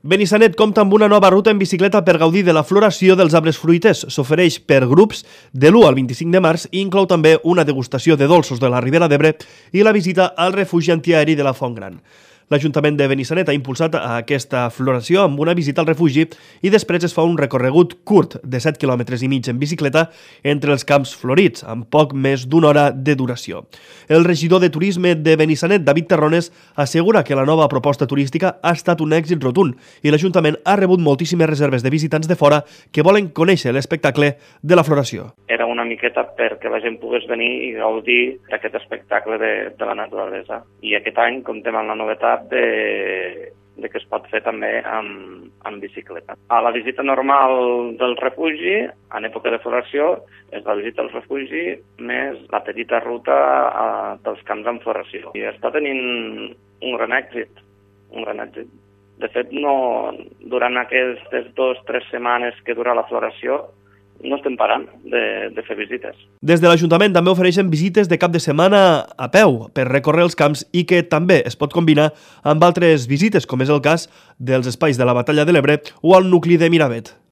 Benissanet compta amb una nova ruta en bicicleta per gaudir de la floració dels arbres fruiters. S'ofereix per grups de l'1 al 25 de març i inclou també una degustació de dolços de la Ribera d'Ebre i la visita al refugi antiaeri de la Font Gran. L'Ajuntament de Benissanet ha impulsat aquesta floració amb una visita al refugi i després es fa un recorregut curt de 7,5 km en bicicleta entre els camps florits, amb poc més d'una hora de duració. El regidor de Turisme de Benissanet, David Terrones, assegura que la nova proposta turística ha estat un èxit rotund i l'Ajuntament ha rebut moltíssimes reserves de visitants de fora que volen conèixer l'espectacle de la floració. Era una miqueta perquè la gent pogués venir i gaudir d'aquest espectacle de la naturalesa. I aquest any comptem amb la novetat de que es pot fer també amb bicicleta. A la visita normal del refugi, en època de floració, és la visita al refugi més la petita ruta dels camps en floració. I està tenint un gran èxit. De fet, durant aquestes 2 o 3 setmanes que dura la floració, no estem parant de fer visites. Des de l'Ajuntament també ofereixen visites de cap de setmana a peu per recórrer els camps i que també es pot combinar amb altres visites, com és el cas dels espais de la Batalla de l'Ebre o al nucli de Miravet.